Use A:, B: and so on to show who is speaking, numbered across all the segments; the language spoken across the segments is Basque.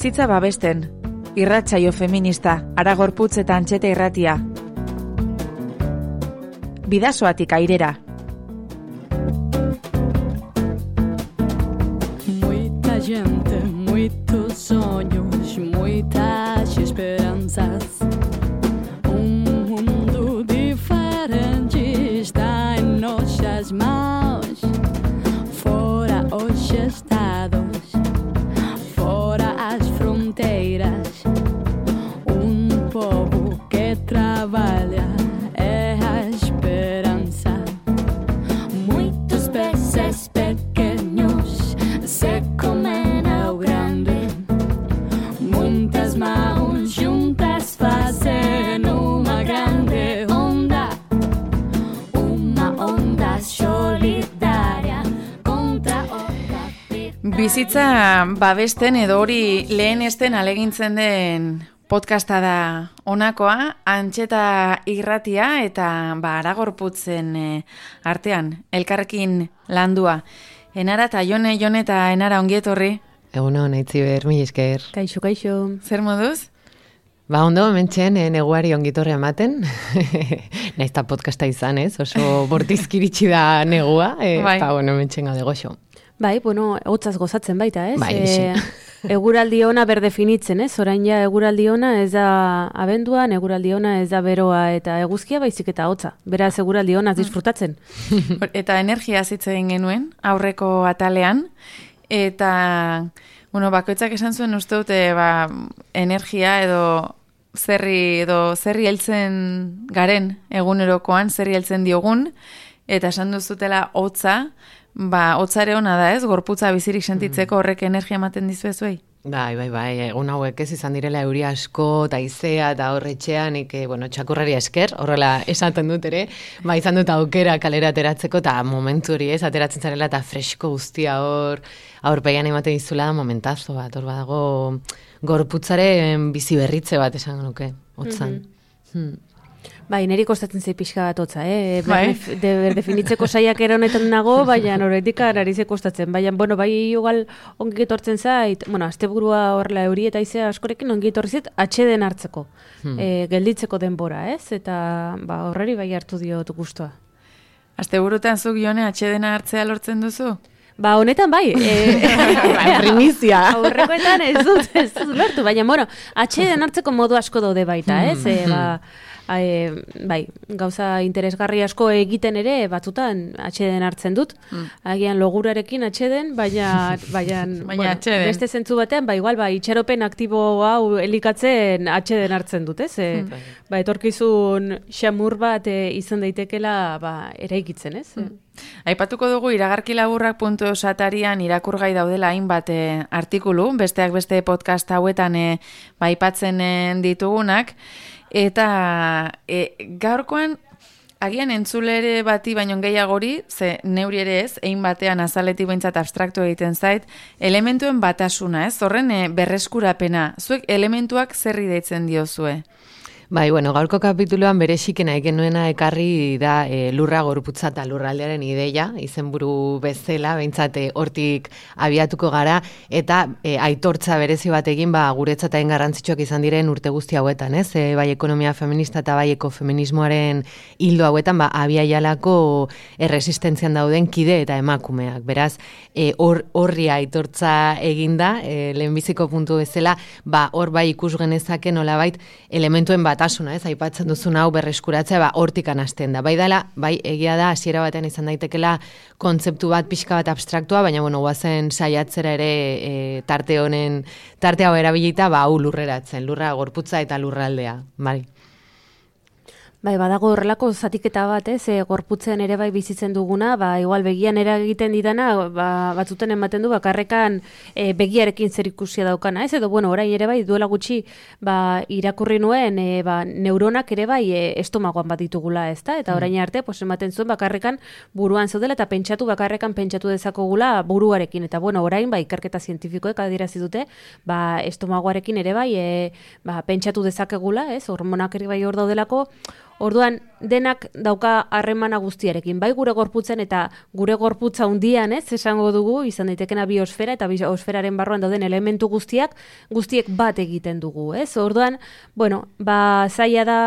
A: Bizitza babesten, irratsaio feminista, Aragorputz eta Antxeta irratia. Bidasoatik airera.
B: Muita gente, muitos sonhos, muitas esperanças. Mundo diferente está em nossas mãos. Fora os estados, fora as fronteiras. Povo que trabalha é a esperança. Muitos peces pequenos se comem ao grande. Muitas mãos juntas fazem uma grande onda. Uma onda solidária contra o
A: Bizitza babesten edo hori lehenesten alegintzen den podcasta da honakoa, Antxeta irratia eta Aragorputzen artean, elkarrekin landua. Enara eta Jone eta Enara ongietorri.
C: Eguno, naitziber, mil esker.
D: Kaixo, kaixo.
A: Zer moduz?
C: Ondo, hementxen, neguari ongitorri ematen. Naizta podcasta izan, ez? Oso bortizkiritsi da negua. Hementxen gaude goxo.
D: Hotzaz gozatzen baita, ez?
C: Eguraldi
D: ona berdefinitzen, ez? Orain ja eguraldi ona ez da abenduan, eguraldi ona ez da beroa eta eguzkia, baizik eta hotza. Beraz, eguraldi ona disfrutatzen.
A: Eta energia zitzen genuen, aurreko atalean, eta, bakoitzak esan zuen uste dute, energia edo zerri heltzen garen egunerokoan, zerri heltzen diogun, eta esan duzutela hotza, hotzare ona da ez, gorputza bizirik sentitzeko horrek energia ematen dizuezuei?
C: Bai, egun hauek ez izan direla euri asko, eta izea, eta horretxean, txakurrari esker, horrela esaten dut ere, izan dut aukera kalera ateratzeko, eta momentu hori ez, ateratzen zarela, eta fresko guztia aurpegian ematen dizula da momentazo bat, hor badago gorputzaren bizi berritze bat esan nuke, hotzan.
D: Neri kostatzen zei pixka bat hotza, definitzeko saiakera honetan nago, baina horretik ararizek kostatzen. Igual ongi etortzen zait, asteburua horrela euri eta izea askorekin ongi etorri zait, atxeden hartzeko, gelditzeko denbora, ez? Eta horreri hartu diot guztua.
A: Asteburutan zuk Jone atxedena hartzea lortzen duzu?
D: Honetan
C: primizia.
D: Aurrekoetan ez dut lortu, baina, atxeden hartzeko modu asko daude baita, ez? Gauza interesgarri asko egiten ere batzutan atxeden hartzen dut. Agian logurarekin atxeden, baina
A: atxeden.
D: Beste zentzu batean, igual, itxaropen aktibo hau elikatzen atxeden hartzen dut, ez? Etorkizun xamur bat izan daitekela eraikitzen, ez?
A: Aipatuko dugu iragarki laburrak.eus atarian irakurgai daudela hainbat artikulu, besteak beste podcast hauetan aipatzen ditugunak, eta gaurkoan agian entzulere bati baino gehiagori, ze neuri ere ez, egin batean azaletik behintzat abstraktu egiten zait, elementuen batasuna, ez? Horren berreskurapena, zuek elementuak zerri deitzen diozue?
C: Gaurko kapituluan bereziki nahi genuena ekarri da lurra gorputza eta lurraldearen ideia, izenburu bezala, behintzat hortik abiatuko gara, eta aitortza berezi bat egin guretzat hain garrantzitsuak izan diren urte guzti hauetan, ez? Bai ekonomia feminista eta bai ekofeminismoaren hildo hauetan, abiaialako erresistentzian dauden kide eta emakumeak. Beraz, horri aitortza eginda, lehenbiziko puntu bezala, hor ikus genezake nolabait elementuen bat ez, aipatzen duzun hau berreskuratzea, hortikan hasten da. Bai egia da, hasiera batean izan daitekela kontzeptu bat pixka bat abstraktua, baina, guazen saiatzera ere tarte hau erabilita, hau lurreratzen, lurra gorputza eta lurraldea, bai.
D: Badago horrelako zatiketa bat, gorputzean ere bizitzen duguna, igual begian eragiten didana, batzuten ematen du, bakarrekan begiarekin zer ikusia daukana, ez? Edo, orain ere duela gutxi, irakurri nuen, neuronak ere estomagoan bat ditugula, ez da? Eta orain arte, ematen zuen bakarrekan buruan zaudela, eta bakarrekan pentsatu dezakogula buruarekin. Eta, orain, ikerketa zientifikoek adierazi dute, estomagoarekin ere pentsatu dezakegula, ez? Hormonak ere hor daudelako. Orduan, denak dauka harremana guztiarekin, bai gure gorputzen eta gure gorputza hundian, ez, esango dugu, izan daitekena biosfera eta biosferaren barruan dauden elementu guztiek bat egiten dugu, ez? Orduan, bueno, zaila da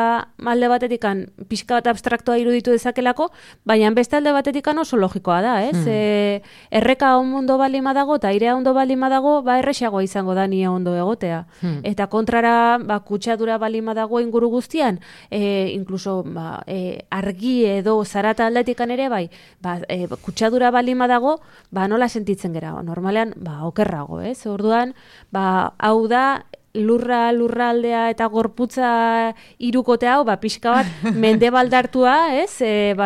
D: alde batetikan pixka bat abstraktoa iruditu dezakelako, baina beste alde batetikan oso logikoa da, ez? Erreka ondo baldin badago eta airea ondo baldin badago, erresagoa izango da nia ondo egotea. Eta kontrara, kutsadura baldin badago inguru guztian, inkluso argi edo zarata aldetikan ere bai, kutsadura baldin badago, nola sentitzen gera, normalean, okerrago, ez? Orduan, hau da, lurraldea eta gorputza hirukote hau, pixka bat mendebaldartua, ez?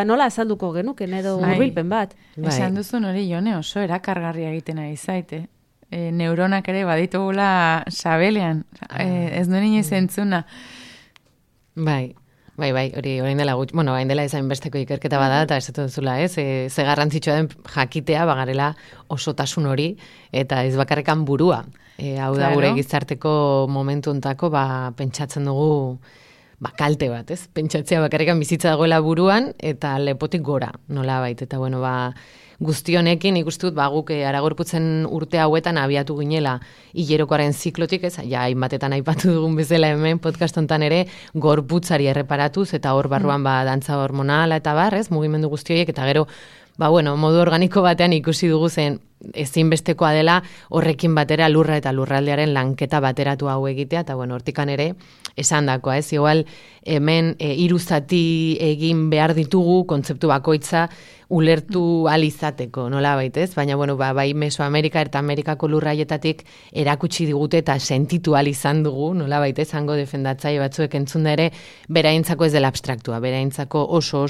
D: Nola azalduko genuken edo hurbilpen bat.
A: Esan duzun hori, Jone, oso erakargarria egiten ari zaite. Neuronak ere baditugula sabelean, ez nuen inoiz entzuna.
C: Bai, hori orain dela gutxi, orain dela ezain besteko ikerketa bada, eta ez duzula, ez? Ze garrantzitsua den jakitea, bagarela osotasun hori, eta ez bakarrekan burua. Hau da gure gizarteko momentu ontako, pentsatzen dugu, kalte bat, ez? Pentsatzea bakarrekan bizitza dagoela buruan, eta lepotik gora, nola bait, eta bueno, guzti honekin ikustut guk aragorputzen urte hauetan abiatu ginela hilerokoaren ziklotik, ez? Ja, hainbatetan aipatu dugun bezala hemen podcast hontan ere gorputzari erreparatuz eta hor barruan dantza hormonala eta ez? Mugimendu guzti horiek eta gero modu organiko batean ikusi dugu zen ezinbestekoa dela horrekin batera lurra eta lurraldearen lanketa bateratu hau egitea, eta hortikan ere esandakoa, ez? Igual hemen 3 zati egin behar ditugu kontzeptu bakoitza ulertu alizateko, nola baitez? Baina, bai Mesoamerika eta Amerikako lurraietatik erakutsi digute eta sentitu izan dugu, nola baitez, hango defendatzaile batzuek entzun da ere, beraintzako ez dela abstraktua, beraintzako oso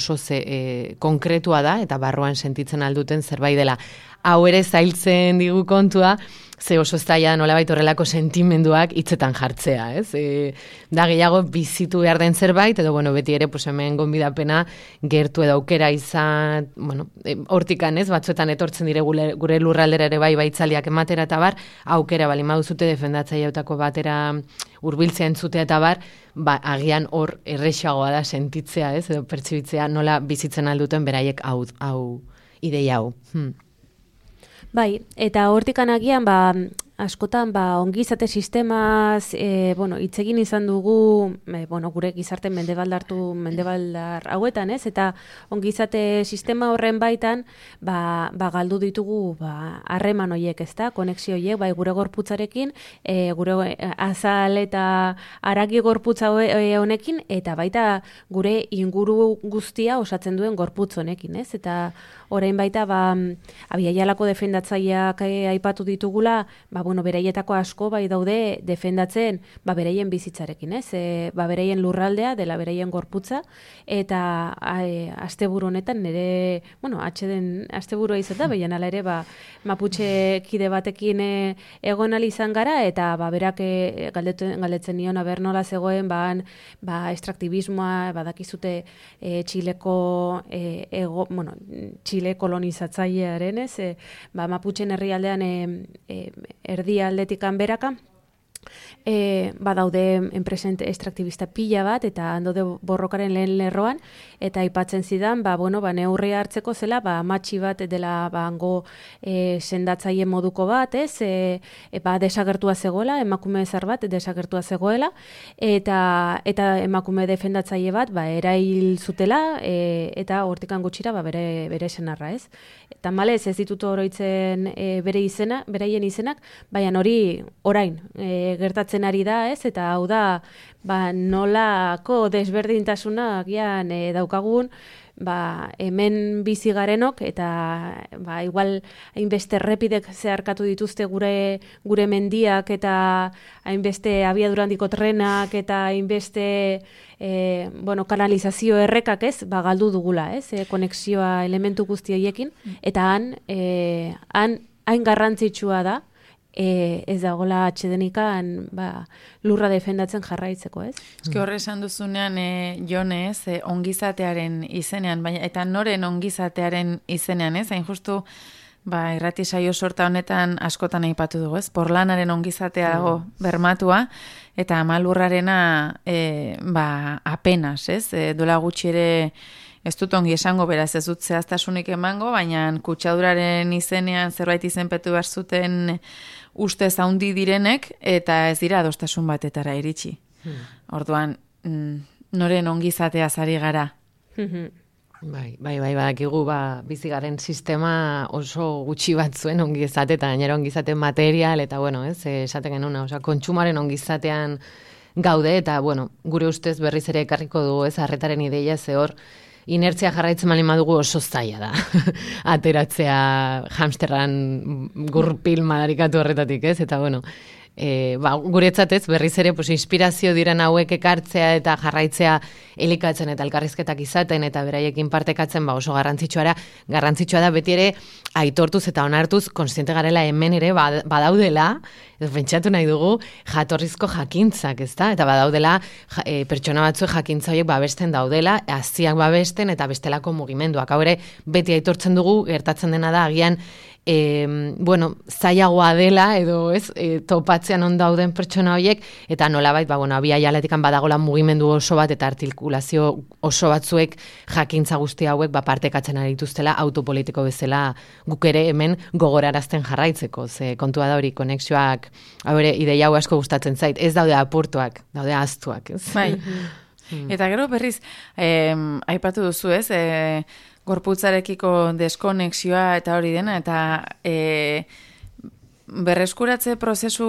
C: konkretua da, eta barruan sentitzen alduten zerbait dela. Hau ere zailtzen digu kontua, ze oso zaila nolabait horrelako sentimenduak hitzetan jartzea, ez? Da gehiago bizitu behar den zerbait, edo beti ere hemen gonbidapena gertu edo aukera izan, hortikan, ez? Batzuetan etortzen dire gure lurraldera ere baitzaliak ematera eta aukera bali maduzute defendatzaileutako batera hurbiltzea entzutea eta agian hor erresagoa da sentitzea, ez? Edo pertsibitzea nola bizitzen alduten beraiek hau ideia hau.
D: Bai, eta hortikan agian, askotan, ongizate sistemaz, hitz egin izan dugu, gure gizarte mendebaldar hauetan, ez? Eta ongizate sistema horren baitan, galdu ditugu, harreman horiek, ez da? Konexio horiek, gure gorputzarekin, gure azal eta haragi gorputza honekin, eta baita gure inguru guztia osatzen duen gorputz honekin, ez? Eta orain baita, abiaialako defendatzaileak aipatu ditugula, beraietako asko daude defendatzen beraien bizitzarekin, ez? Beraien lurraldea dela beraien gorputza, eta asteburu honetan nire, atxeden asteburua izan da, baina ala ere Mapuche kide batekin egon izan gara, eta berak galdetzen nion aber nola zegoen estraktibismoa, badakizute Txileko Txile kolonizatzailearen, ez? Mapuchen herrialdean erdi aldetikan beraka, badaude enpresen estraktibista pila bat, eta handode borrokaren lehen lerroan, eta aipatzen zidan, neurria hartzeko zela, amatxi bat dela hango sendatzaile moduko bat, ez? Desagertua zegoela, emakume zar bat desagertua zegoela, eta emakume defendatzaile bat, erail zutela, eta hortikan gutxira, bere senarra, ez? Eta malez, ez ditut oroitzen beraien izenak, baina hori orain gertatzen ari da, ez? Eta hau da, nolako desberdintasuna agian daukagun, hemen bizi garenok, eta igual hainbeste errepidek zeharkatu dituzte gure mendiak, eta hainbeste abiadurandiko trenak, eta hainbeste kanalizazio errekak, ez? Galdu dugula, ez? Konexioa elementu guzti horiekin, eta hain garrantzitsua da, ez dagoela atxedenikan lurra defendatzen jarraitzeko, ez?
A: Eske horre esan duzunean, Jone, ez, ongizatearen izenean, eta noren ongizatearen izenean, ez? Hain justu, irrati saio sorta honetan askotan aipatu dugu, ez? Porlanaren ongizatea dago bermatua, eta Amalurrarena apenas, ez? Dola gutxi ere ez dut ongi esango, beraz ez dut zehaztasunik emango, baina kutsaduraren izenean zerbait izenpetu behar zuten ustez handi direnek, eta ez dira adostasun batetara iritsi. Orduan, noren ongizatea zari gara.
C: Bai, badakigu, bizigaren sistema oso gutxi batzuen ongizate, eta gainera ongizate material, eta bueno, ez, esaten genuna, kontsumaren ongizatean gaude, eta bueno, gure ustez berriz ere ekarriko dugu, ez, arretaren ideia, ze hor, inertzia jarraitzen malin badugu oso zaila da. Ateratzea hamsterran gurpil madarikatu horretatik, ez, eta bueno, guretzat ez, berriz ere inspirazio diren hauek ekartzea eta jarraitzea elikatzen eta elkarrizketak izaten eta beraiekin partekatzen oso garrantzitsua da beti ere aitortuz eta onartuz kontziente garela hemen ere badaudela, pentsatu nahi dugu jatorrizko jakintzak, ezta? Eta badaudela pertsona batzuek jakintza horiek babesten daudela, haziak babesten eta bestelako mugimenduak. Hau ere beti aitortzen dugu, gertatzen dena da agian zailagoa dela edo ez, topatzean on dauden pertsona horiek, eta nolabait, bi aialetikan badagola mugimendu oso bat eta artikulazio oso batzuek jakintza guzti hauek partekatzen ari dituztela autopolitiko bezala guk ere hemen gogorarazten jarraitzeko, ze kontua da hori konexioak, hau ere ideia hau asko gustatzen zait, ez daude apurtuak, daude ahaztuak, ez?
A: Bai. Eta gero berriz, aipatu duzu, ez, gorputzarekiko deskonexioa eta hori dena, eta berreskuratze prozesu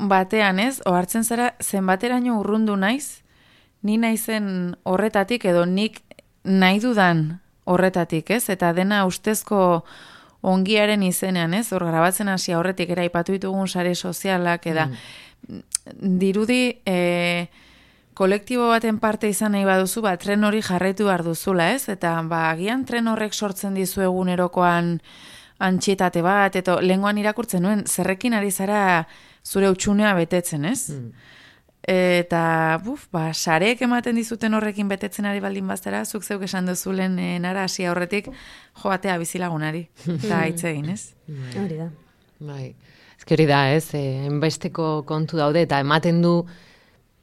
A: batean, ez, ohartzen zara zenbateraino urrundu naiz, ni naizen horretatik edo nik nahi dudan horretatik, ez, eta dena ustezko ongiaren izenean, ez, hor grabatzen hasi horretik era aipatu ditugun sare sozialak, eta dirudi kolektibo baten parte izan nahi baduzu, tren hori jarraitu behar duzula, ez? Eta agian tren horrek sortzen dizu egunerokoan antxietate bat, eta lehengoan irakurtzen nuen, zerrekin ari zara zure utxunea betetzen, ez? Eta, sareek ematen dizuten horrekin betetzen ari baldin baztera, zuk zeuk esan duzulen nara hasi horretik, joatea bizilagunari, eta hitz egin, ez?
D: Hori da.
C: Bai, hori da, ez? Enbesteko kontu daude, eta ematen du,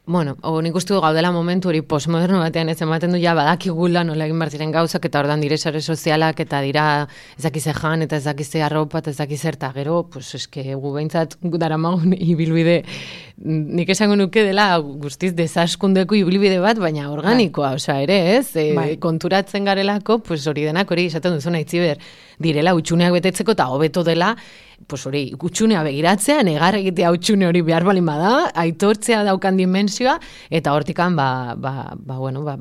C: nik uste du gaudela momentu hori postmoderno batean ez ematen du badakigula nola egin behar ziren gauzak eta ordan dire sare sozialak eta dira ezakize jan eta ezakize arropa eta ezakize eta gero, eske gu behintzat daramagun ibilbide nik esango nuke dela guztiz desaskundeko ibilbide bat, baina organikoa, ere, ez? Konturatzen garelako, hori denak hori esaten duzuna itziber direla utxuneak betetzeko eta hobeto dela hori, utxunea begiratzea, negar egitea utxune hori behar balin bada, aitortzea daukan dimensioa, eta hortikan,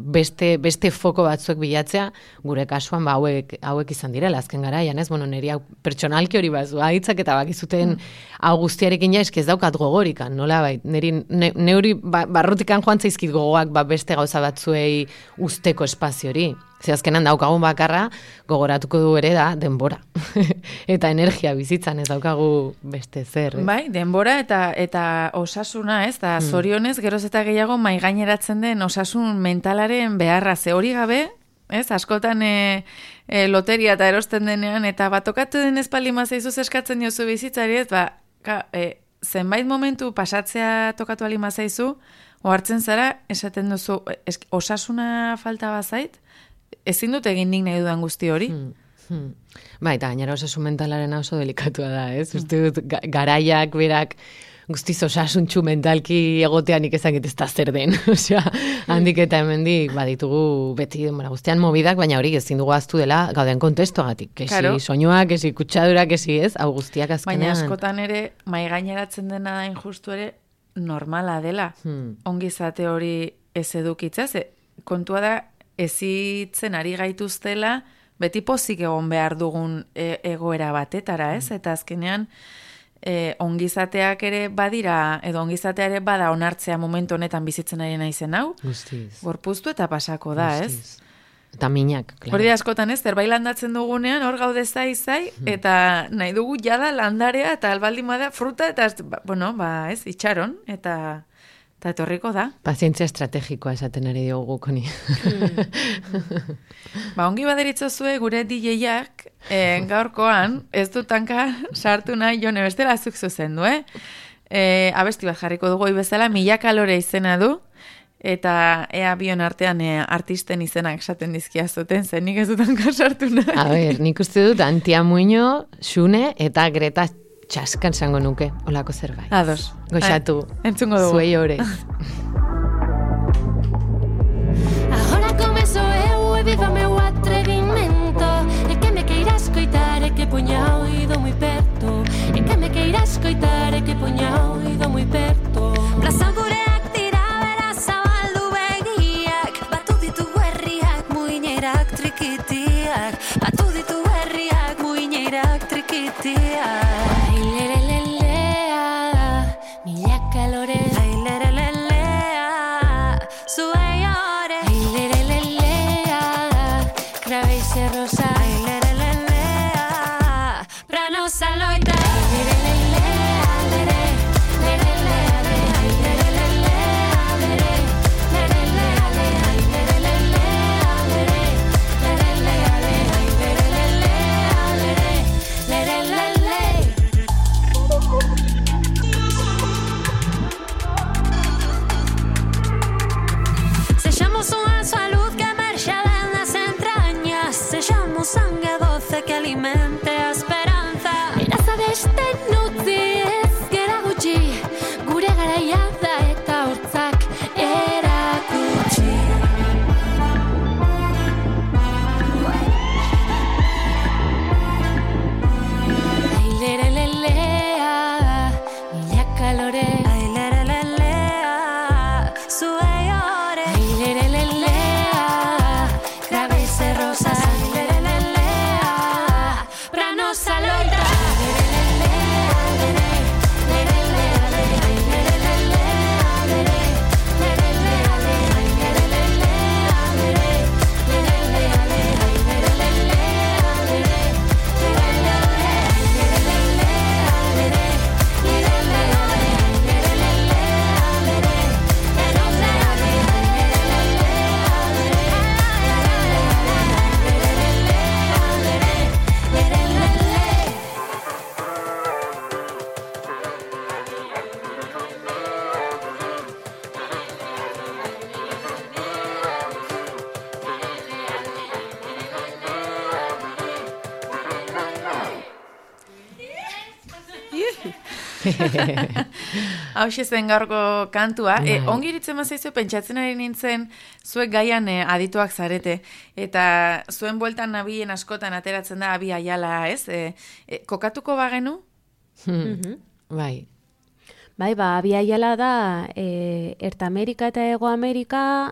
C: beste foko batzuek bilatzea, gure kasuan, hauek izan direla, azken garaian, ez? Neri pertsonalki hori bazu, hitzak eta bakizuten hau guztiarekin ja, ez daukat gogorikan, nola bai, neuri barrutikan joan zaizkit gogoak beste gauza batzuei usteko espazio hori. Ze azkenan daukagun bakarra, gogoratuko du ere da denbora. Eta energia bizitzan ez daukagu beste zer.
A: Bai, denbora eta osasuna, ez? Da zorionez, geroz eta gehiago maigaineratzen den osasun mentalaren beharra. Ze hori gabe, ez? Askotan loteria eta erosten denean, eta tokatu den espaldima zaizuz eskatzen diozu bizitzari, ez? Zenbait momentu pasatzea tokatu alima zaizu, ohartzen zara, esaten duzu, osasuna falta bazait, ezin dut egin nik nahi dudan guzti hori.
C: Eta gainera osasun mentalaren oso delikatua da, ez? Uste dut, garaiak, berak, guztiz osasuntxu mentalki egotean ikizakit ez da zer den. Osea, handik eta hemendik baditugu beti guztian mobidak, baina hori ezin dugu aztu dela gauden kontestuagatik. Kesi soinuak, kesi kutsadurak, kesi ez, hau guztiak azkenean.
A: Baina askotan ere, maigaineratzen dena da injustu ere, normala dela. Ongizate hori ez edukitza, kontua da, ezitzen ari gaituztela, beti pozik egon behar dugun egoera batetara, ez? Eta azkenean, ongizateak ere badira, edo ongizatea ere bada onartzea momentu honetan bizitzen ari naizen hau.
C: Guztiz.
A: Gorpuztu eta pasako da, ez?
C: Eta minak, klaro.
A: Hori askotan ez, zerbait landatzen dugunean, hor gaude zai, eta nahi dugu jada landarea, eta albaldin bada fruta, eta, ez, itxaron, eta eta etorriko da.
C: Pazientzia estrategikoa esaten ari diogu honi.
A: Ongi baderitzozue gure DJ-ak gaurkoan ez dutanka sartu nahi Jone bestela zuk zuzendu, abesti bat jarriko dugu bezala, 1000 kalore izena du, eta ea bion artean artisten izenak esaten dizkia zuten, zen nik ez dutanka sartu nahi.
C: A ber, nik uste dut Antia Muño, Xune eta Greta Txaskan zango nuke, olako zerbait.
A: Ados.
C: Goxatu.
A: Entzungo dugu.
C: Zuei orez.
B: Ahora começo eu e viva meu atrevimento. E que me queira escoitar e que poña o oído moi perto. E que me queira escoitar e que poña o oído moi perto. Plaza gureak dira bera zabaldu begiak. Batu ditu herriak muinerak trikitiak. Batu ditu herriak muinerak trikitiak. Sangue doce que alimente a esperanza. Iraza beste nutzi ez gera gutxi, gure garaia da eta hortzak erakutsi. Ailerelelea, 1000 kalore. Ailerelelea, zuei ore. Ailerelelea, grabe rosa.
A: Hau zen gaurko kantua. Ongi iritzen mazaizu, pentsatzen ari nintzen, zuek gaian adituak zarete, eta zuen bueltan nabien askotan ateratzen da Abi Aiala, ez? Kokatuko bagenu?
C: Bai.
D: Bai, Abi Aiala da Erta Amerika eta Hego Amerika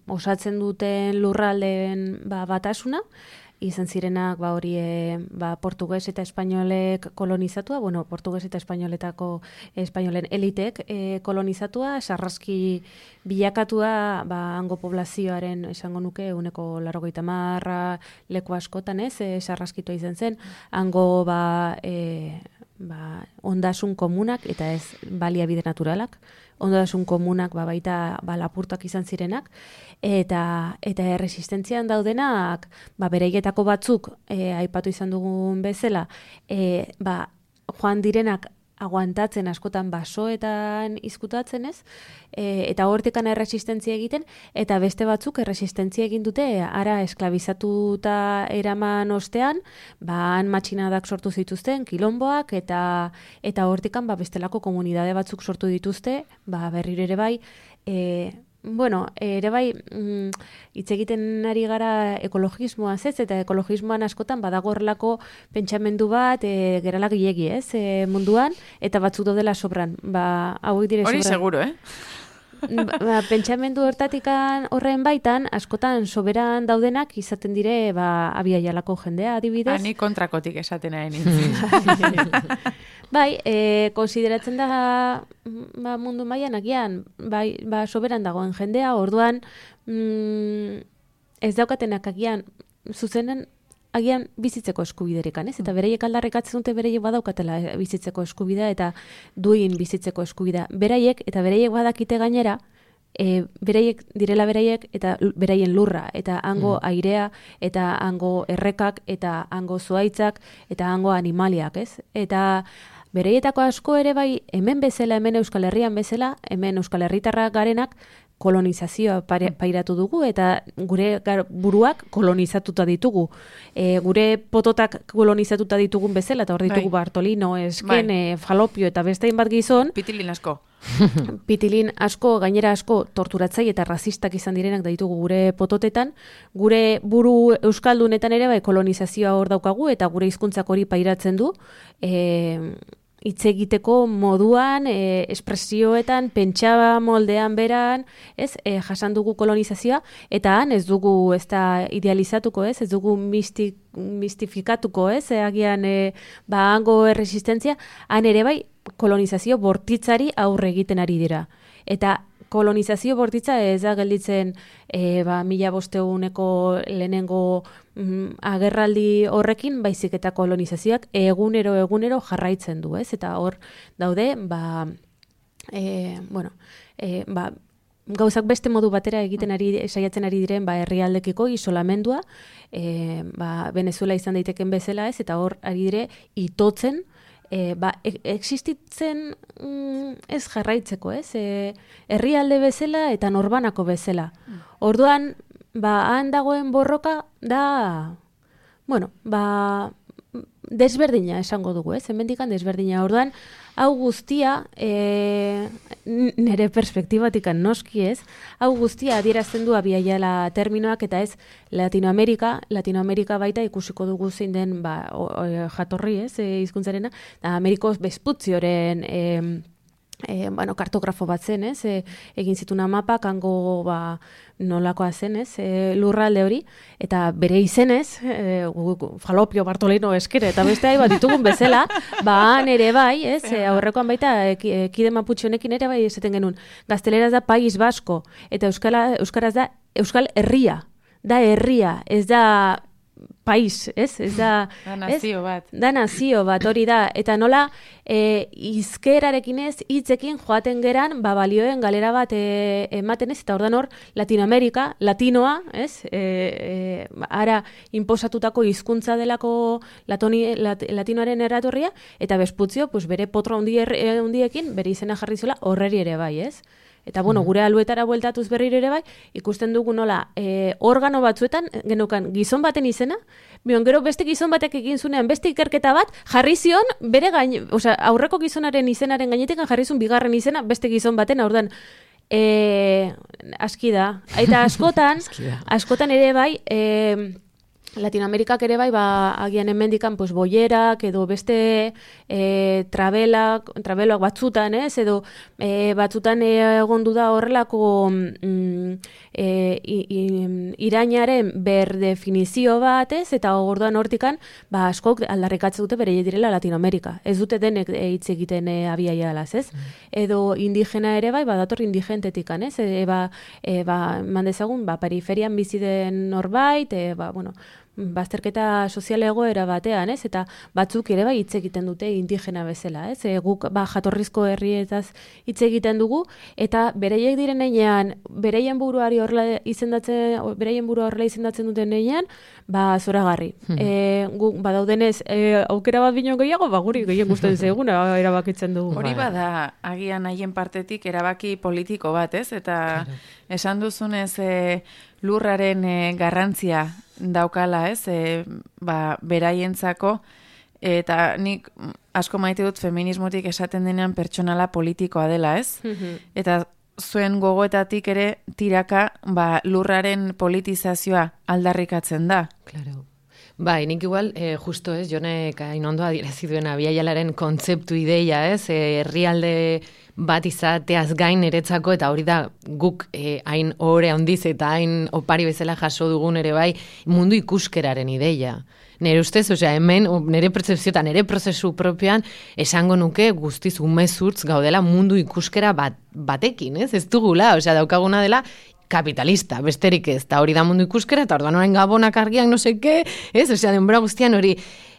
D: osatzen duten lurraldeen batasuna, izan zirenak hori portugues eta espainolek kolonizatua, portugues eta espainolen elitek kolonizatua, sarraski bilakatua hango poblazioaren esango nuke 90% leku askotan sarraskitua izan zen, hango ondasun komunak eta ez baliabide naturalak, ondasun komunak baita lapurtak izan zirenak, eta erresistentzian daudenak bereietako batzuk aipatu izan dugun bezala joan direnak aguantatzen askotan basoetan izkutatzen ez, eta hortikan erresistentzia egiten, eta beste batzuk erresistentzia egin dute ara esklabizatuta eraman ostean, han matxinadak sortu zituzten, kilomboak, eta hortikan bestelako komunidade batzuk sortu dituzte, berriro ere bai, ere bai, hitz egiten ari gara ekologismoaz ez, eta ekologismoan askotan badago horrelako pentsamendu bat, gerala gilegi ez, munduan, eta batzuk daudela sobran. Hauek dire sobran.
A: Hori seguro,
D: Pentsamendu horren baitan, askotan soberan daudenak izaten dire Abi Aialako jendea adibidez.
A: Ni kontrakotik esaten ari nintzen.
D: Bai, konsideratzen da mundu mailan agian, soberan dagoen jendea, orduan ez daukatenak agian zuzenen agian bizitzeko eskubiderekan, ez? Eta beraiek aldarrikatzen dute beraiek badaukatela bizitzeko eskubidea eta duin bizitzeko eskubidea. Beraiek eta beraiek badakite gainera, beraiek direla beraiek eta beraien lurra, eta hango airea, eta hango errekak, eta hango zuaitzak, eta hango animaliak, ez? Eta bereietako asko ere bai, hemen bezala, hemen Euskal Herrian bezala, hemen Euskal Herritarrak garenak, kolonizazioa pairatu dugu, eta gure buruak kolonizatuta ditugu. Gure pototak kolonizatuta ditugun bezala, eta hor ditugu Bartolino, Esken, Falopio, eta beste hainbat gizon.
A: Pitilin asko.
D: Pitilin asko, gainera asko torturatzaile eta razistak izan direnak da ditugu gure pototetan. Gure buru euskaldunetan ere bai kolonizazioa hor daukagu, eta gure hizkuntzak hori pairatzen du. Hitz egiteko moduan, espresioetan, pentsa moldean beran, ez, jasan dugu kolonizazioa, eta han ez dugu ez da idealizatuko, ez dugu mistifikatuko, ez, agian hango erresistentzia, han ere bai kolonizazio bortitzari aurre egiten ari dira. Eta kolonizazio bortitza ez da gelditzen 1500 lehenengo agerraldi horrekin, baizik eta kolonizazioak egunero jarraitzen du, ez? Eta hor daude, gauzak beste modu batera egiten saiatzen ari diren herrialdekiko isolamendua, Venezuela izan daiteken bezala, ez? Eta hor ari dire itotzen, existitzen ez jarraitzeko, ez? Herrialde bezala eta norbanako bezala. Orduan, han dagoen borroka da, desberdina esango dugu, ez? Hemendikan desberdina. Orduan, hau guztia, nire perspektibatikan noski ez, hau guztia adierazten du abiaiala terminoak, eta ez Latinoamerika baita ikusiko dugu zein den jatorri, ez, hizkuntzarena, Ameriko Vespuzzioren kartografo bat zen, ez, egin zituna mapak, hango nolakoa zen, ez, lurralde hori, eta bere izenez, Falopio, Bartolino, Eskere, eta beste bat ditugun bezala, han ere bai, ez, aurrekoan baita, kide Maputxe honekin ere bai esaten genuen, gazteleraz da País Basko, eta euskaraz da Euskal Herria, da herria, ez da país, ez? Ez da
A: nazio bat.
D: Da nazio bat, hori da. Eta nola hizkerarekin ez, hitzekin joaten geran, balioen galera bat ematen ez, eta ordan hor, latinoa, ez? Ara inposatutako hizkuntza delako latinoaren eratorria, eta Vespuzzio, bere potro handiekin, bere izena jarri zuela horreri ere bai, ez? Eta, gure aluetara bueltatuz berriro ere bai, ikusten dugu nola, organo batzuetan, genukan, gizon baten izena, gero beste gizon batek egin zunean, beste ikerketa bat, jarri zion, bere aurreko gizonaren izenaren gainetik jarri zuen bigarren izena, beste gizon baten, aurdan, aski da. Eta askotan ere bai, Latinoamerikak ere bai, agian hemendikan boierak edo beste trabeloak batzutan, ez? Edo batzutan egondu da horrelako irainaren berdefinizio bat, ez? Eta orduan hortikan, askok aldarrikatzen dute bere direla Latinoamerika. Ez dute denek hitz egiten abiaialaz, ez? Edo indigena ere bai, badator indigentetikan, ez? Mandezagun, periferian bizi den norbait, bazterketa sozial egoera batean, ez? Eta batzuk ere bai hitz egiten dute indigena bezala, ez? Guk jatorrizko herrietaz hitz egiten dugu, eta bereiek diren heinean, bereien burua horrela izendatzen duten heinean, zoragarri. Guk badaudenez aukera bat bino gehiago, guri gehien gustatzen zaiguna erabakitzen dugu.
A: Hori bada agian haien partetik erabaki politiko bat, ez? Eta esan duzunez lurraren garrantzia daukala, ez? Beraientzako, eta nik asko maite dut feminismotik esaten denean pertsonala politikoa dela, ez? Eta zuen gogoetatik ere tiraka lurraren politizazioa aldarrikatzen da.
C: Claro. Nik igual, justo ez, Jonek hain ondo adierazi duen abiaialaren kontzeptu ideia, ez? Herrialde bat izateaz gain eretzako, eta hori da guk hain ohore handiz eta hain opari bezala jaso dugun ere bai, mundu ikuskeraren ideia. Nere ustez, hemen, nere pertzepzioetan, nere prozesu propioan, esango nuke guztiz umezurtz gaudela mundu ikuskera batekin, ez? Ez dugula, daukaguna dela kapitalista, besterik ez, eta hori da mundu ikuskera, eta orduan orain gabonak argiak no seke, ez, osea, denbora guztian hori,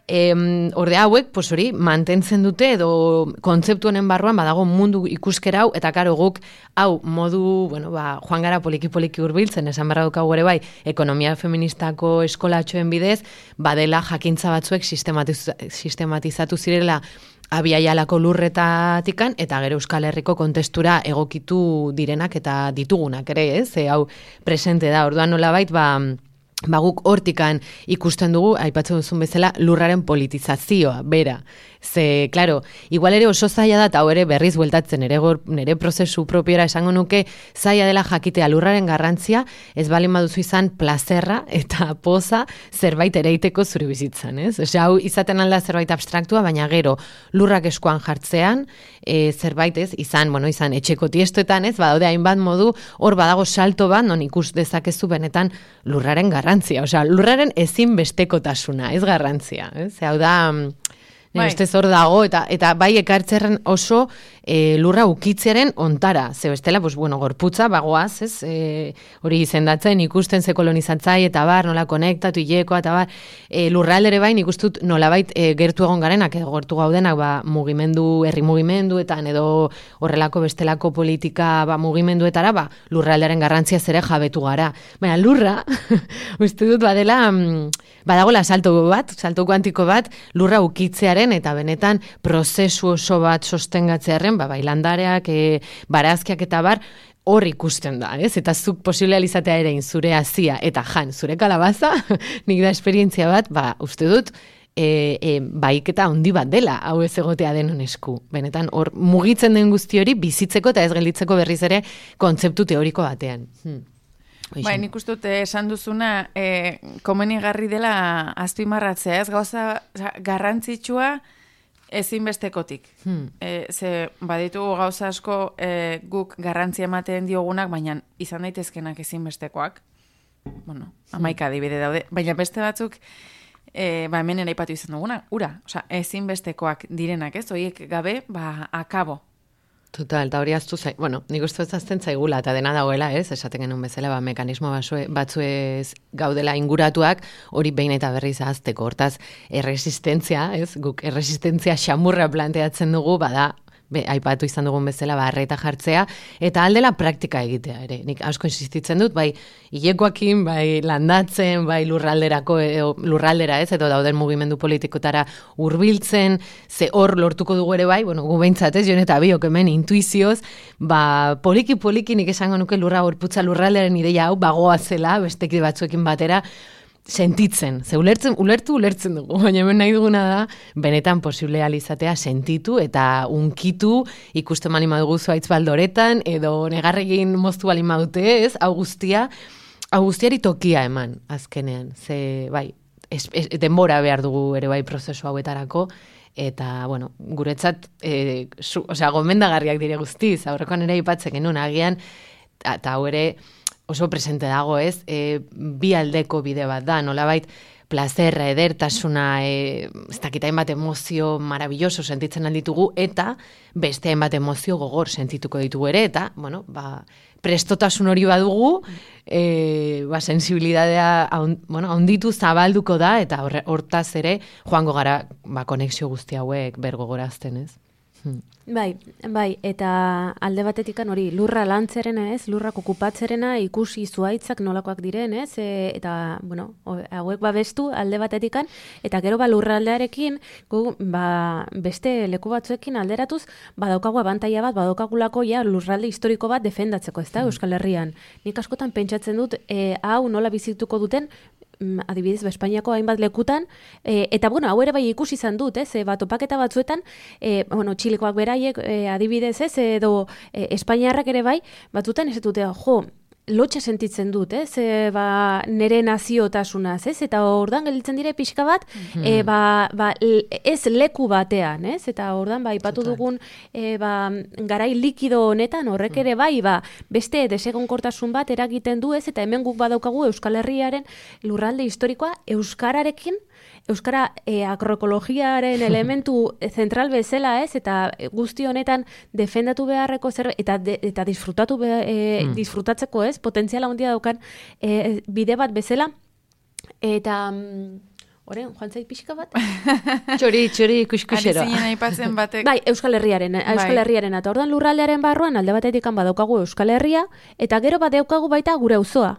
C: orde hauek, pues hori, mantentzen dute edo kontzeptu honen barruan badago mundu ikuskera hau, eta karo guk hau modu, bueno, joan gara poliki-poliki hurbiltzen, esan barra daukagu ere bai, ekonomia feministako eskolatxoen bidez, badela jakintza batzuek sistematizatu zirela abiaialako lurretatikan, eta gero Euskal Herriko kontestura egokitu direnak eta ditugunak ere, ez? Hau presente da, orduan nolabait, guk hortikan ikusten dugu, aipatzen duzun bezala, lurraren politizazioa, bera. Ze, claro, igual ere oso zaila da, eta ere berriz bueltatzen, nere prozesu propiora esango nuke, zaila dela jakitea lurraren garrantzia, ez balen baduzu izan plazerra eta poza zerbait ereiteko zure bizitzan, ez? Osea, hau izaten alda zerbait abstraktua, baina gero lurrak eskuan jartzean, zerbait ez, izan etxeko tiestoetan, ez? Badaude hainbat modu, hor badago salto bat, non ikus dezakezu benetan lurraren garrantzia, osea, lurraren ezinbestekotasuna, ez garrantzia, ez? Hau da, ustez hor dago, eta bai ekartzerren oso lurra ukitzearen ontara. Ze bestela, gorputza, bagoaz, ez? Hori izendatzen, ikusten ze kolonizatzai, eta bar, nola konektatu, hilekoa, eta bar, lurraldere bai, ikustut nolabait gertu egon garenak, edo gertu gaudenak, mugimendu, herri mugimenduetan, edo horrelako bestelako politika mugimenduetara, lurraldearen garrantzia zere jabetu gara. Baina lurra, uste dut badela, badagola salto kuantiko bat, lurra ukitzearen, eta benetan prozesu oso bat sostengatzearen, bailandareak, barazkiak eta bar, hor ikusten da, ez? Eta zuk posible izatea ere zure hazia eta zure kalabaza, nik da esperientzia bat, uste dut, baiketa handi bat dela, hau ez egotea denon esku. Benetan, hor mugitzen den guzti hori bizitzeko eta ez gelditzeko berriz ere kontzeptu teoriko batean.
A: Nik uste dut esan duzuna komenigarri dela azpimarratzea, ez gauza garrantzitsua ezinbestekotik. Ze baditugu gauza asko guk garrantzia ematen diogunak, baina izan daitezkenak ezinbestekoak. Hamaika adibide daude, baina beste batzuk hemen eraipatu izan duguna, ura, ezinbestekoak direnak, ez? Horiek gabe, akabo.
C: Total, eta hori aztu nik uste azten zaigula, eta dena dagoela, ez? Esaten genuen bezala, mekanismo batzuez gaudela inguratuak, hori behin eta berriz ahazteko. Hortaz, erresistentzia, ez? Guk erresistentzia xamurra planteatzen dugu, aipatu izan dugun bezala, arreta jartzea, eta aldela praktika egitea ere. Nik asko insistitzen dut, bai hilekoakin, bai landatzen, bai lurraldera ez, edo dauden mugimendu politikotara hurbiltzen, ze hor lortuko dugu ere bai, gu behintzat ez, jon eta biok hemen intuizioz, poliki nik esango nuke gorputza lurralderen ideia hau, bagoa zela, bestekide batzuekin batera, sentitzen, ze ulertzen dugu, baina hemen nahi duguna da, benetan posible alizatea sentitu eta unkitu ikusten bali madugu zuaitz baldoretan, edo negarregin moztu bali madute, ez, hau guztiari tokia eman, azkenean, ze, denbora behar dugu ere bai prozesu hauetarako, eta, guretzat, gomendagarriak dire guztiz, aurrekoan ere aipatzen genuen agian, eta hau ere, oso presente dago, ez? Bi aldeko bide bat da, nolabait plazerra, edertasuna, ez dakit hainbat emozio maravilloso sentitzen alditugu, eta beste hainbat emozio gogor sentituko ditugu ere, eta, prestotasun hori badugu, sensibilidadea handitu zabalduko da, eta hortaz ere joango gara konexio guzti hauek bergogorazten, ez?
D: Bai, eta alde batetikan hori lurra lantzerena, ez, lurrak okupatzerena ikusi zuaitzak nolakoak diren, ez, eta, hauek babestu alde batetikan, eta gero lurraldearekin, beste leku batzuekin alderatuz, badaukagu abantaia bat, badaukagulako lurralde historiko bat defendatzeko, ez da, Euskal Herrian. Nik askotan pentsatzen dut, hau nola bizituko duten, adibidez, Espainiako hainbat lekutan, eta, hau ere bai ikusi izan dut, ez, topaketa batzuetan, Txilekoak beraiek, adibidez, ez, edo Espainiarrak ere bai, batzutan ez dute, lotxa sentitzen dut, ez, nere naziotasunaz, ez, eta ordan gelditzen dire pixka bat, ez leku batean, ez, eta ordan ipatu dugun garai likido honetan, horrek ere bai, beste desegonkortasun bat eragiten du, ez, eta hemen guk badaukagu Euskal Herriaren lurralde historikoa Euskara agroekologiaren elementu zentral bezala, ez, eta guzti honetan defendatu beharreko zerbait, eta disfrutatzeko, ez, ez? Potentziala handia daukan bide bat bezala, eta... Horen, joan zait pixka bat?
C: Txori, kuskusero.
A: Ari zinen aipatzen batek.
D: Bai, Euskal Herriaren, eta ordan lurraldearen barruan alde batetik badaukagu Euskal Herria, eta gero badaukagu baita gure auzoa.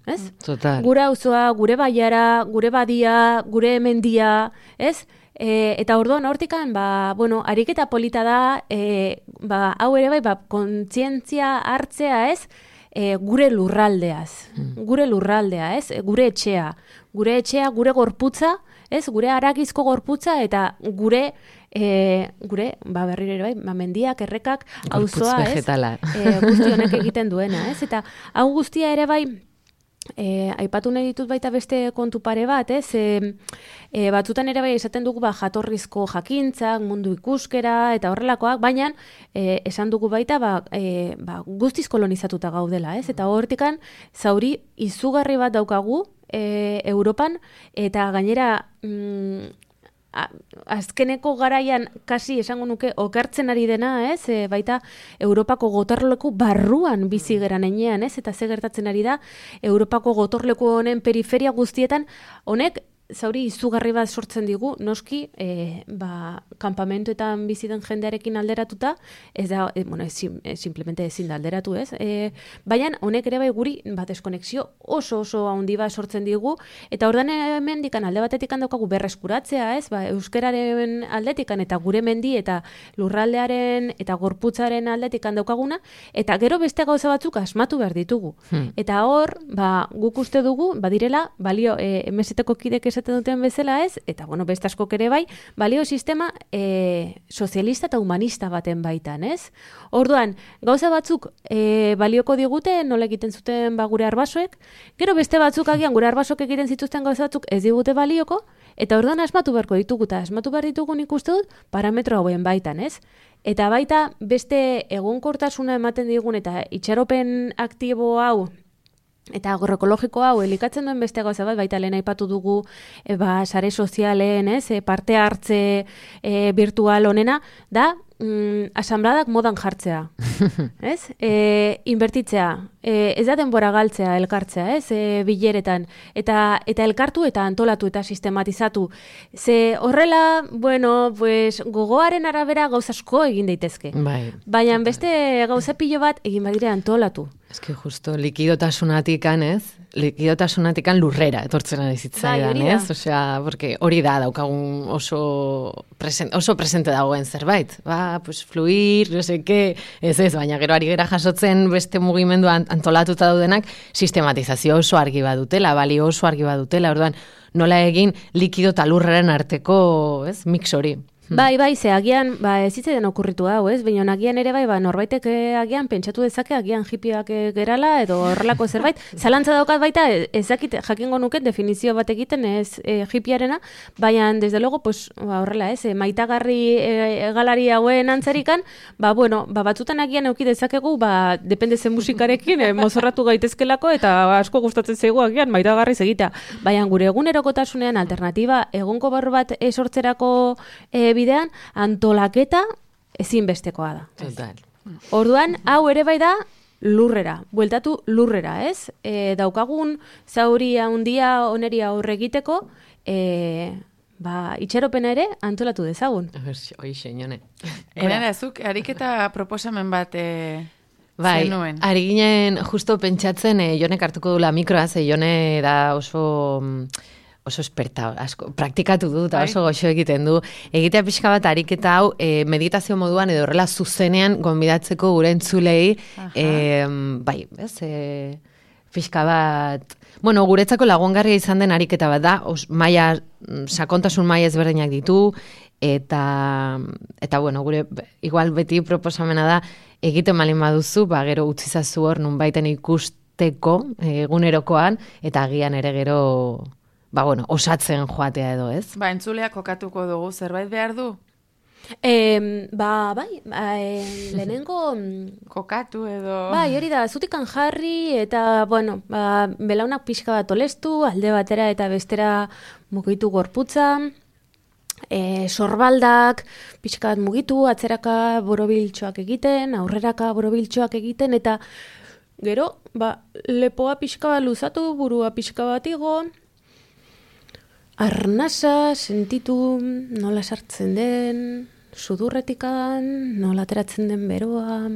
D: Ez?
C: Total.
D: Gure auzoa, gure baiara, gure badia, gure mendia, ez? Eta orduan hortikan, ariketa polita da, hau ere bai, kontzientzia hartzea, ez? Gure lurraldeaz, gure lurraldea, ez? Gure etxea, gure gorputza, ez? Gure haragizko gorputza eta gure berriro ere bai, mendiak, errekak, auzoa, ez? Guzti honek egiten duena, ez? Eta hau guztia ere bai, aipatu nahi ditut baita beste kontu pare bat, ez? Batzutan ere bai esaten dugu jatorrizko jakintzak, mundu ikuskera eta horrelakoak, baina esan dugu baita guztiz kolonizatuta gaudela, ez? Eta hortikan zauri izugarri bat daukagu Europan, eta gainera azkeneko garaian kasi esango nuke okertzen ari dena, ez? Baita Europako gotorleku barruan bizi geran enean, ez? Eta ze gertatzen ari da Europako gotorleku honen periferia guztietan, honek zauri izugarri bat sortzen digu, noski, kanpamentuetan bizi den jendearekin alderatuta, ez da, simplemente ezin da alderatu, ez? Baina, honek ere bai guri, deskonexio oso handi bat sortzen digu, eta ordan mendikan alde batetik daukagu berreskuratzea, ez? Euskararen aldetikan eta gure mendi eta lurraldearen eta gorputzaren aldetikan daukaguna, eta gero beste gauza batzuk asmatu behar ditugu. Eta hor, guk uste dugu, badirela, balio, MST-ko kidek esaten duten bezala, ez? Eta, beste askok ere bai, balio sistema sozialista eta humanista baten baitan, ez? Orduan, gauza batzuk balioko digute, nola egiten zuten gure arbasoek, gero beste batzuk agian gure arbasok egiten zituzten gauza batzuk ez digute balioko, eta orduan asmatu beharko ditugu, eta asmatu behar ditugu nik uste dut parametro hauen baitan, ez? Eta baita beste egonkortasuna ematen digun eta itxaropen aktibo hau eta agroekologiko hau elikatzen duen beste gauza bat, baita lehen aipatu dugu sare sozialen, ez, parte hartze virtual honena, da asambladak modan jartzea, ez? Inbertitzea, ez da denbora galtzea, elkartzea, ez? Bileretan, eta elkartu eta antolatu eta sistematizatu. Ze horrela, gogoaren arabera gauza asko egin daitezke. Baina beste gauza pilo bat egin badire antolatu.
C: Ez que justo likidotasunatikan, ez? Likidotasunatikan lurrera etortzen ari zitzaidan, ez? Osea, porque hori da daukagun oso presente dagoen zerbait. Fluir, no sé qué, ez, baina gero ari gera jasotzen beste mugimendu antolatuta daudenak sistematizazio oso argi badutela, balio oso argi badutela, orduan nola egin likido eta lurraren arteko, ez, mix hori.
D: Bai, ze agian, ez zitzen okurritu hau, ez? Baina agian ere bai, norbaitek agian pentsatu dezake, agian hipiak gerala, edo horrelako zerbait. Zalantza daukat baita, ezakit jakingo nuket definizio bat egiten, ez hipiarena, baina, desde luego, horrela, ez? Maitagarri galari hauen antzerikan, batzutan agian euki dezakegu, depende zen musikarekin, mozorratu gaitezkelako, eta asko gustatzen zaigu agian maitagarriz egitea. Baina, gure egunerokotasunean alternatiba egonko barru bat sortzerako bidean, antolaketa ezinbestekoa da.
C: Total.
D: Orduan, hau ere bai da lurrera, bueltatu lurrera, ez? Daukagun zauri handia oneria aurre egiteko, itxaropena ere antolatu dezagun.
C: Hoixe, Jone.
A: Zuk, ariketa proposamen bat zenuen.
C: Ari ginen justo pentsatzen, Jonek hartuko dula mikroa, ze Jone da oso esperta, asko, praktikatu du, eta oso goxo egiten du. Egitea pixka bat ariketa hau, meditazio moduan edo horrela zuzenean gonbidatzeko gure entzulei, pixka bat, guretzako lagungarria izan den ariketa bat da, sakontasun maila ezberdinak ditu, eta gure, igual beti proposamena da, egiten malin baduzu, gero utzizazu hor nunbaiten ikusteko egunerokoan, eta agian ere gero osatzen joatea edo, ez?
A: Entzuleak kokatuko dugu, zerbait behar du?
D: Lehenengo...
A: Kokatu edo...
D: Hori da, zutikan jarri, eta, belaunak pixka bat olestu, alde batera eta bestera mugitu gorputza, sorbaldak, pixka bat mugitu, atzeraka borobiltxoak egiten, aurreraka borobiltxoak egiten, eta Gero, lepoa pixka bat luzatu, burua pixka bat igo, arnasa sentitu nola sartzen den, sudurretikan, nola ateratzen den beroa,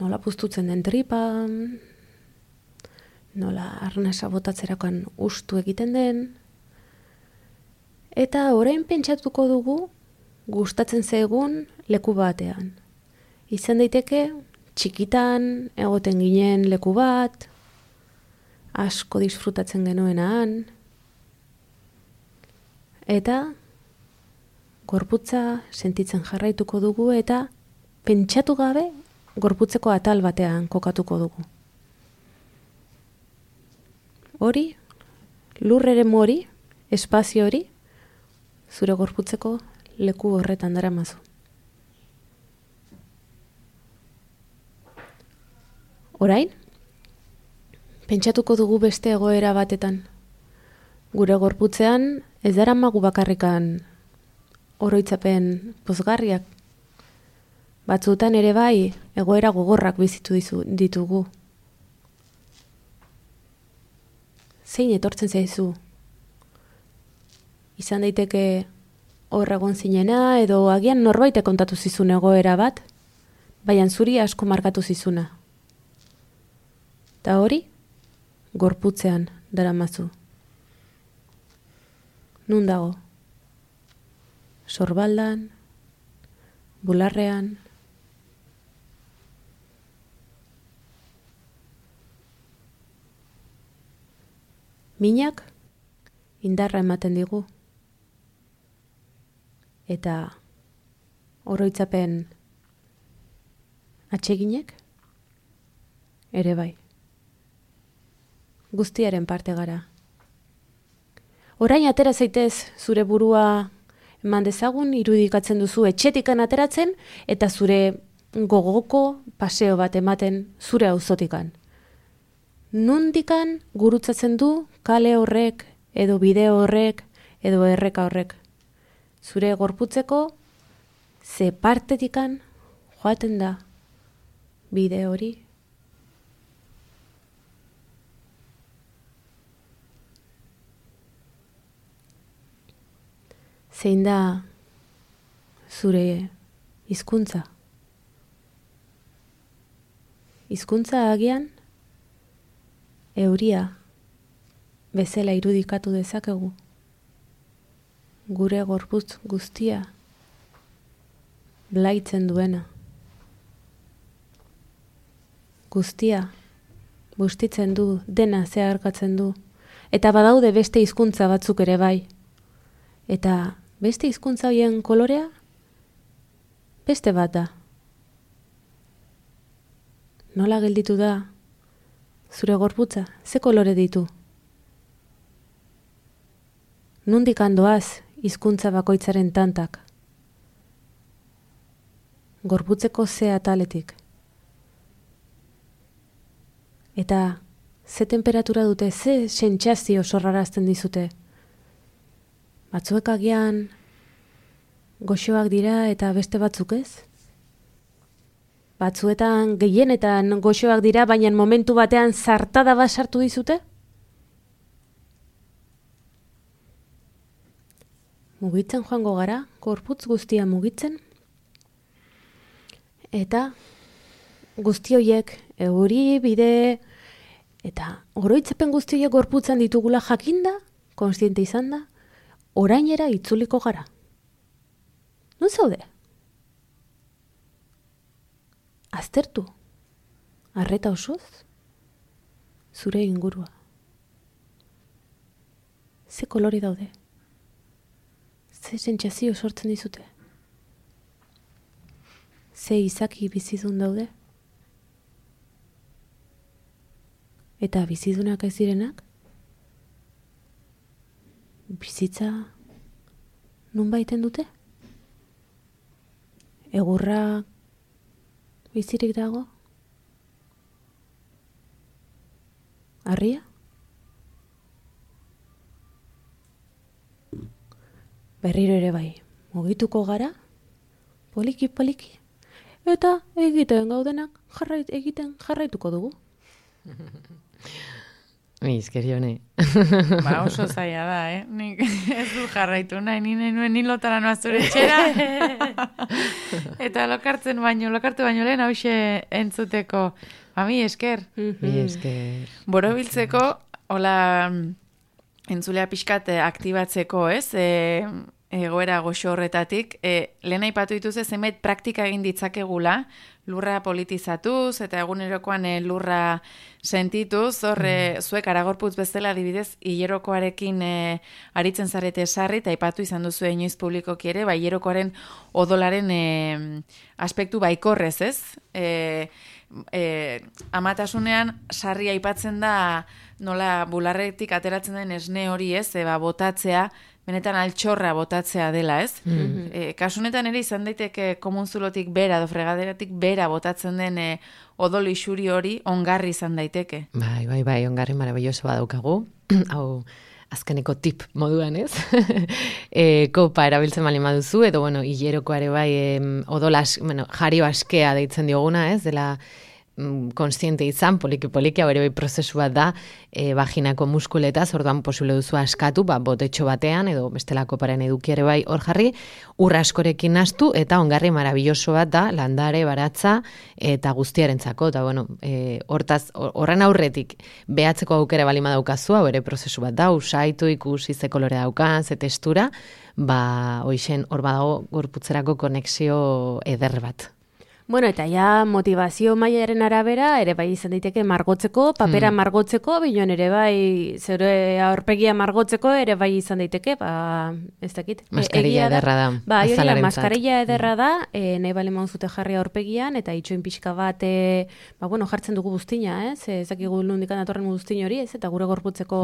D: nola puztutzen den tripa, nola arnasa botatzerakoan ustu egiten den, eta orain pentsatuko dugu gustatzen zaigun leku batean. Izan daiteke txikitan egoten ginen leku bat, asko disfrutatzen genuenan, eta gorputza sentitzen jarraituko dugu eta pentsatu gabe gorputzeko atal batean kokatuko dugu. Hori, lur eremu hori, espazio hori, zure gorputzeko leku horretan daramazu. Orain, pentsatuko dugu beste egoera batetan. Gure gorputzean ez daramagu bakarrikan oroitzapen pozgarriak. Batzutan ere bai egoera gogorrak bizitu ditugu. Zein etortzen zaizu? Izan daiteke hor egon zinena edo agian norbaitek kontatu zizun egoera bat, baina zuri asko markatu zizuna. Eta hori, gorputzean daramazu. Nun dago? Sorbaldan, bularrean, minak indarra ematen digu. Eta oroitzapen atseginek ere bai. Guztiaren parte gara. Orain atera zaitez zure burua eman dezagun, irudikatzen duzu etxetikan ateratzen eta zure gogoko paseo bat ematen zure auzotikan. Nundikan gurutzatzen du kale horrek edo bide horrek edo erreka horrek. Zure gorputzeko ze partetikan joaten da bide hori. Zein da zure hizkuntza? Hizkuntza agian euria bezala irudikatu dezakegu. Gure gorputz guztia blaitzen duena. Guztia bustitzen du, dena zeharkatzen du. Eta badaude beste hizkuntza batzuk ere bai. Eta beste hizkuntza horien kolorea beste bat da. Nola gelditu da zure gorputza? Ze kolore ditu? Nondik handoaz hizkuntza bakoitzaren tantak? Gorputzeko ze ataletik? Eta ze temperatura dute, ze sentsazio sorrarazten dizute? Batzuek agian goxoak dira eta beste batzuk ez? Batzuetan gehienetan goxoak dira, baina momentu batean zartada bat sartu dizute? Mugitzen joango gara, gorputz guztia mugitzen, eta guzti horiek euri, bide, eta oroitzapen guzti horiek gorputzan ditugula jakinda, kontziente izan da, orainera itzuliko gara. Non zaude? Aztertu, arreta osoz, zure ingurua. Ze kolore daude? Ze sentsazio sortzen dizute? Ze izaki bizidun daude? Eta bizidunak ez direnak? Bizitza nun baiten dute? Egurra bizirik dago? Harria? Berriro ere bai, mugituko gara, poliki-poliki, eta egiten gaudenak egiten jarraituko dugu.
C: Izkerione.
A: Ba, oso zaila da, Nik ez du jarraitu nahi, ni lotara noa zure etxera. Eta lokartu baino lehen hause entzuteko. Ba, mi esker.
C: Mi esker.
A: Borobiltzeko, hola, entzulea pixkat aktibatzeko, ez? Egoera goxo horretatik, lehen aipatu dituze zenbait praktika egin ditzakegula, lurra politizatuz eta egunerokoan lurra sentituz, zuek Aragorputz bezala adibidez hilerokoarekin aritzen zarete sarri, eta aipatu izan duzu inoiz publikoki ere, hilerokoaren odolaren aspektu baikorrez, ez? Amatasunean sarri aipatzen da nola bularretik ateratzen den esne hori, ez? Botatzea, benetan altxorra botatzea dela, ez? Kasunetan ere izan daiteke komunzulotik bera, edo fregaderatik bera botatzen den odol isuri hori ongarri izan daiteke.
C: Bai, ongarri marabilloso badaukagu. Hau, azkeneko tip moduan, ez? Kopa erabiltzen bali maduzu, edo, hilerokoare bai odolas, jario askea deitzen dioguna, ez? Dela konstiente izan, poliki hau ere bai prozesu bat da, vaginako muskuletaz, orduan posible duzu askatu, botetxo batean, edo bestelako paren edukiare bai hor jarri, urra askorekin nastu, eta ongarri marabilloso bat da, landare, baratza, eta guztiarentzako, eta horren aurretik, behatzeko aukera balima daukazu, hau ere prozesu bat da, usaitu, ikusi ze kolore daukan, ze textura, hoixen hor badago gorputzerako konexio eder bat.
D: Bueno, eta ja motivazio mailaren arabera, ere bai izan daiteke margotzeko, papera margotzeko, bion ere bai zure aurpegia margotzeko, ere bai izan daiteke, ez dakit.
C: Maskarilla ederra da.
D: Maskarilla ederra da, nahi bale mauzute jarri aurpegian, eta itxoin pixka bat, jartzen dugu buztina, ez dakigu nundikan datorren buztin hori, ez, eta gure gorputzeko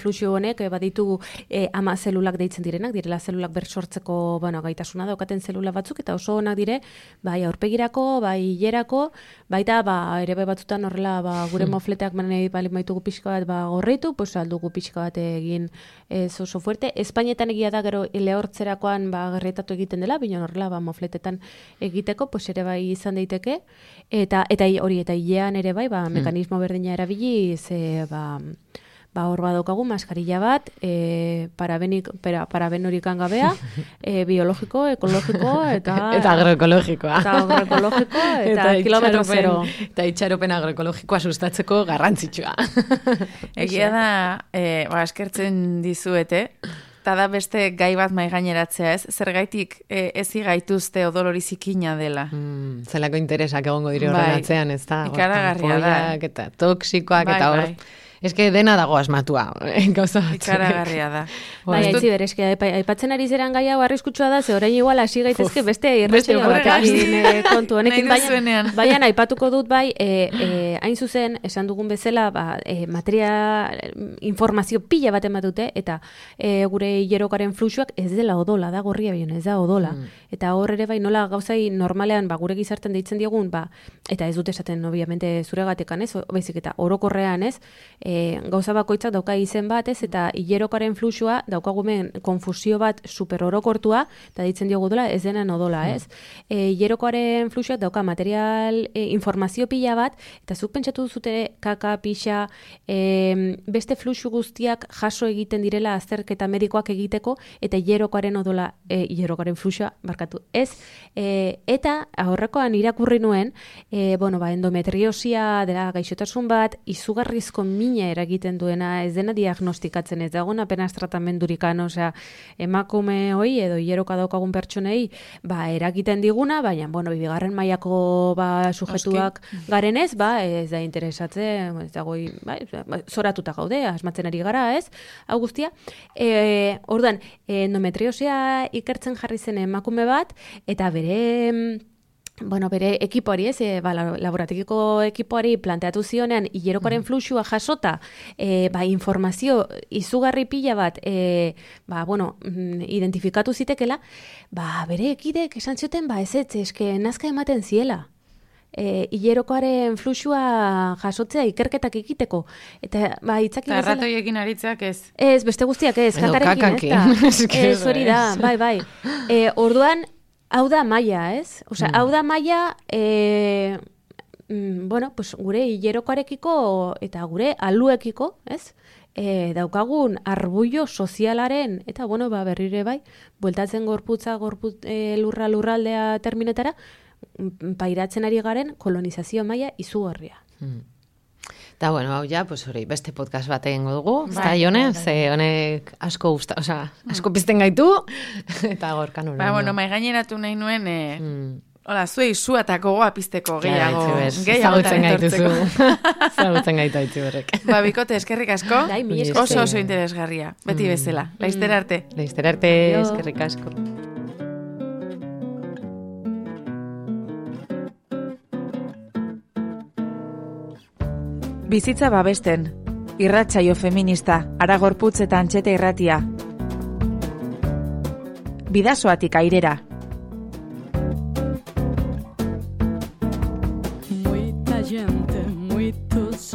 D: fluxio honek, ditugu ama zelulak deitzen direnak, direla zelulak bersortzeko, gaitasuna daukaten zelula batzuk, eta oso onak dire, bai aurpegi hilerako, baita ere batzutan horrela gure mofleteak manei bali maitugu pixka bat gorritu, aldugu pixka bat egin oso fuerte. Espainetan egia da gero lehortzerakoan gerretatu egiten dela, bino horrela mofletetan egiteko, ere bai izan daiteke, eta hori eta hilean ere bai, mekanismo berdina erabili, hor badaukagu maskarilla bat, paraben horikan gabea, biologiko, ekologiko,
C: eta agroekologikoa.
D: Eta kilometro zero.
C: Eta itxaropen agroekologikoa sustatzeko garrantzitsua.
A: Egia da, eskertzen dizuete, eta da beste gai bat maigaineratzea, ez? Zergaitik ezi gaituzte odolori zikina dela.
C: Zelako interesak egongo dire horren atzean, ez da?
A: Ikaragarria da.
C: Eta toksikoak, eta hor... Ez que dena dago asmatua, gauza bat.
A: Ikaragarria da.
D: Aitzi berezke, aipatzen ari zeran gai hau arriskutsua da, ze orain igual hasi gaitezke beste irratio batekin kontu honekin, baina aipatuko dut bai, hain zuzen, esan dugun bezala, informazio pila bat ematute, eta gure hilerokaren fluxuak ez dela odola, da gorria bion, ez da odola. Eta hor ere bai nola gauzai normalean gure gizarten deitzen diogun, eta ez dut esaten obviamente zuregatekan ez, baizik eta orokorrean ez, gauza bakoitzak dauka izen bat, ez, eta hilerokaren fluxua daukagumen konfusio bat super orokortua, eta ditzen diogu dola, ez denen odola, ez. Hilerokoaren fluxuak dauka material, informazio pila bat, eta zuk pentsatu duzute kaka, pixa, beste fluxu guztiak jaso egiten direla azterketa medikoak egiteko, eta hilerokoaren odola, hilerokaren fluxua, barkatu, ez. Eta aurrekoan irakurri nuen, endometriosia dela gaixotasun bat, izugarrizko mina eragiten duena, ez dena diagnostikatzen, ez dagoen apenas tratamendurikan, osea, emakume hoi edo hileroka daukagun pertsonei, eragiten diguna, baina, bigarren mailako sujetuak garenez, ez da interesatzen, ez dago, zoratuta gaude, asmatzen ari gara, ez, hau guztia. Orduan, endometriosia ikertzen jarri zen emakume bat, eta bere ekipoari, laborategiko ekipoari planteatu zionean hilerokoaren fluxua jasota, informazio izugarri pila bat, identifikatu zitekela, bere ekidek esan zioten, eske nazka ematen ziela. Hilerokoaren fluxua jasotzea ikerketak egiteko. Eta, itzaki bezala...
A: Arratoiekin aritzeak ez?
D: Ez, beste guztiak ez, kakarekin, ez da. Ez hori da, bai. Orduan, Hau da maia, ez? Osea, hau da maia, bueno, pues gure hilerokoarekiko eta gure aluekiko, ez? Daukagun arbullo sozialaren, eta bueno, berrire bai, bueltatzen gorputza lurraldea terminetara, pairatzen ari garen kolonizazio maila izugarria.
C: Eta bueno, hau ja, pues hori, beste podcast bat egingo dugu, ez da, Jone? Ze honek asko asko pizten gaitu, eta gorkan hori.
A: Bueno, maigaineratu nahi nuen, hola, zuei suatako goa pizteko gehiago.
C: Zagutzen gaituzu. Zagutzen gaitu haitzi berrek.
A: Bikote, eskerrik asko. Oso interesgarria, beti bezala. Laizter arte.
C: Laizter arte, eskerrik asko.
A: Bizitza babesten. Irratsaio feminista, Aragorputz eta Antxete irratia. Bidasoatik airera.
B: Muita gente, muitos